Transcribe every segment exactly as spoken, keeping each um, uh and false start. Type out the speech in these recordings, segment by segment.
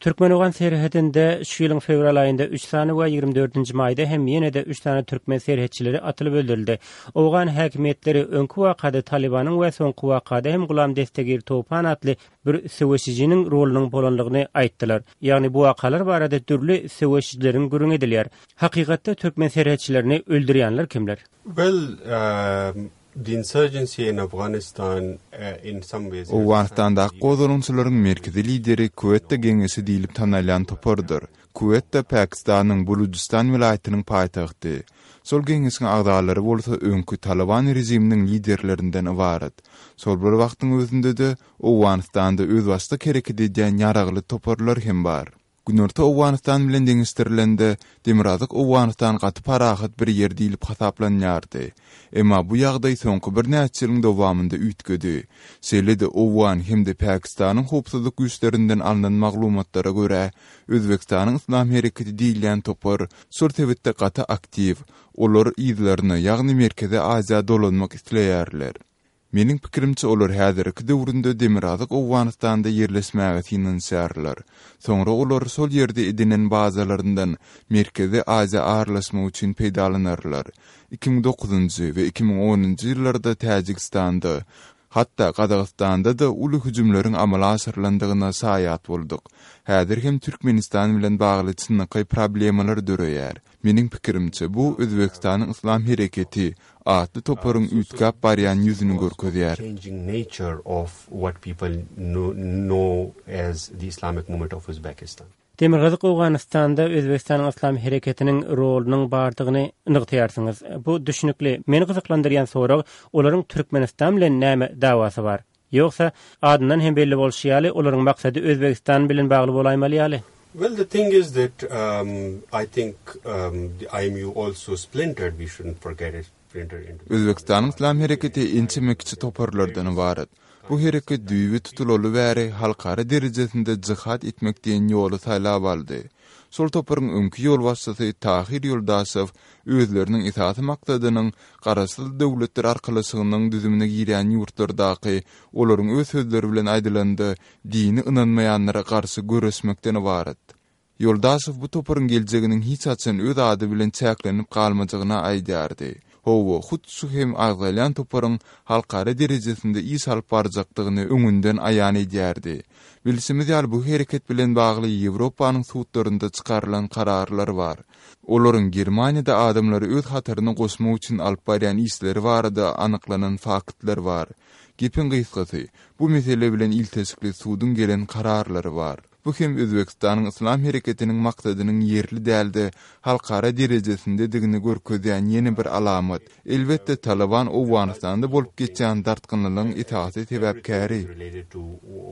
Türkmen-owgan serhedinde şu ýylyň fewral aýynda üç sany we ýigrimi dördünji maýda hem ýene-de üç sany türkmen serhetçileri atylyp öldürildi. Owgan häkimiýetleri öňki wakada Talybanyň we soňky wakada hem Gulam Destegir Topan atly bir söweşijiniň rolunyň bolanlygyny aýtdylar. Ýagny bu wakalar barada dürli söweşijileriň gürrüňi edilýär. Hakykatda türkmen serhetçilerini öldürýänler kimler? Well, um, the insurgency in Afghanistan uh, in some ways Owganystandaky gozgalaňçylaryň merkezi lideri Kwetta geňeşi diýlip tanalýan topardyr. Kwetta Pakistanyň Bulujystan welaýatynyň paýtagty. Şol geňeşiň agzalary bolsa öňki Taliban režiminiň liderlerinden ybarat. Şol bir wagtyň özünde-de Owganystanda özbaşdak hereket edýän ýaragly toparlar hem bar. Günorta Owganystan bilen deňeşdirilende Demirgazyk Owganystan gaty parahat bir ýer diýlip hasaplanýardy. Emma bu ýagdaý soňky birnäçe ýylyň dowamynda üýtgedi. Şeýle-de Owgan hem-de Pakistanyň howpsuzlyk güýçlerinden alnan maglumatlara görä, Özbekistanyň Yslam hereketi diýilýän topar şol sebitde gaty aktiw. Olar yzlaryna, ýagny Merkezi Aziýa dolanmak isleýärler. Meniň pikirimçe olar häzirki döwründe Demirgazyk Owganystanda ýerleşmäge synanyşýarlar. Soňra olar şol ýerde edinen bazalaryndan Merkezi Aziýa aralaşmak üçin peýdalanarlar. iki müň dokuzynjy we iki müň onunjy ýyllarda Täjigistanda, hatda Gazagystanda-da uly hüjümleriň amala aşyrylandygyna şaýat bolduk. Häzir hem Türkmenistan bilen bagly çynlakaý problemalar döreýär. Meniň pikirimçe, bu Özbekistanyň Yslam hereketi atly toparyň üýtgäp barýan ýüzüni görkezýär. Changing nature of what people know, know as the Islamic movement of Uzbekistan. Demirgazyk Owganystanda Özbekistanyň Yslam hereketiniň rolunyň bardygyny nygtaýarsyňyz. Bu düşünikli. Meni gyzyklandyrýan sorag, olaryň Türkmenistan bilen näme dawasy bar? Ýogsa adyndan hem belli bolşy ýaly, olaryň maksady Özbekistan bilen bagly bolaýmaly ýaly. Well, the thing is that um, I think um, the I M U also splintered. We shouldn't forget it. Splintered into Özbekistanyň Yslam hereketi ençeme kiçi toparlardan ybarat. Bu hereket düýbi tutulaly bäri halkara derejesinde jihad etmek diýen ýoly saýlap aldy. Şol toparyň öňki ýolbaşçysy Tahir Ýoldaşow özleriniň esasy maksadynyň Garaşsyz Döwletler Arkalaşygynyň düzümine girýän ýurtlardaky, olaryň öz sözleri bilen aýdylanda, dini ynanmaýanlara garşy göreşmekden ybarat. Ýoldaşow bu toparyň geljeginiň hiç haçan öz ady bilen çäklenip galmajagyny aýdýardy. Hawa, hut şu hem agzalýan toparyň halkara derejesinde iş alyp barjakdygyny öňünden aýan edýärdi. Bilşimiz ýaly, bu hereket bilen bagly Ýewropanyň sudlarynda çykarylan kararlar bar. Olaryň Germaniýada adamlary öz hataryna goşmak üçin alyp barýan işleri barada anyklanan faktlar bar. Gepiň gysgasy, bu mesele bilen ilteşikli suduň gelen kararlary bar. Bu hem Özbekistanyň Yslam hereketiniň maksadynyň ýerli däl-de halkara derejesindedigini görkezýän ýene bir alamat. Elbetde, Taliban Owganystanda bolup geçýän dartgynlygyň esasy sebäpkäri. Related to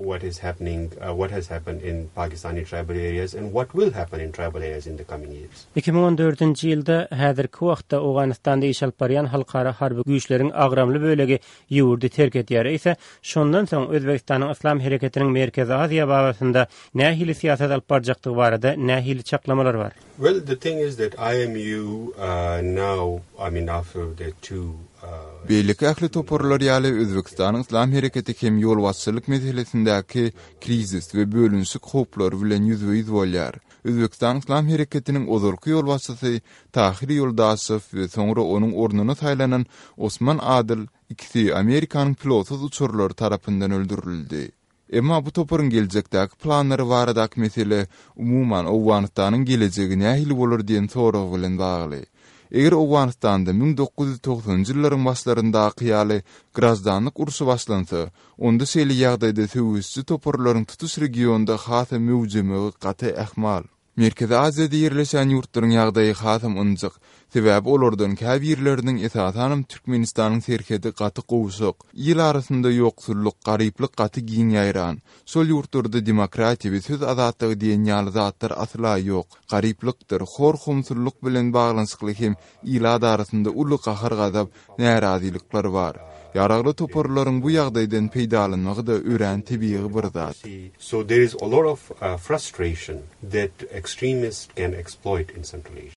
what is happening, uh, what has happened in Pakistani tribal areas and what will happen in tribal areas in the coming years. iki müň on dördünji ýylda häzirki wagtda Owganystanda iş alyp barýan halkara harby güýçleriň agramly bölegi ýurdy terk edýär. Eýse, şondan soň Özbekistanyň Yslam hereketiniň Merkezi Aziýa babatynda nähili syýasat alyp barjakdygy barada nähili çaklamalar bar? Well, the thing is that I M U uh, now, I mean, after the two uh, Beýleki ähli toparlar ýaly Özbekistanyň Yslam hereketi hem ýolbaşçylyk meselesindäki krizis we bölünişik howplary bilen ýüzbe-ýüz bolýar. Özbekistan Yslam hereketiniň ozalky ýolbaşçysy Tahir Ýoldaşow we soňra onuň ornuna saýlanan Osman Adyl ikisi Amerikanyň pilotsyz uçarlary tarapyndan öldürildi. Emma bu toparyň geljekdäki planlary baradaky mesele umuman Owganystanyň gelejegi nähili bolar diýen sorag bilen bagly. Eger Owganystanda müň dokuz ýüz togsanynjy ýyllaryň başlaryndaky ýaly graždanlyk urşy başlansa, onda şeýle ýagdaýda söweşçi toparlaryň tutuş regionda hasam möwjemegi gaty ähtimal. Merkezi Aziýada ýerleşen ýurtlaryň ýagdaýy hasam ynjyk. Sebäbi olardan käbirleriniň, esasanam Türkmenistanyň serhedi gaty gowşak. Il arasynda ýoksullyk, garyplyk gaty giň ýaýran. Şol ýurtlarda demokratiýa we söz azatlygy diýen ýaly zatlar asla ýok. Garyplykdyr, hor-homsullyk bilen baglanyşykly hem ilat arasynda uly gahar-gazap, närazylyklar bar. Ýaragly toparlaryň bu ýagdaýdan peýdalanmagy-da örän tebigy bir zat. So there is a lot of uh, frustration that extremists can exploit in Central Asia.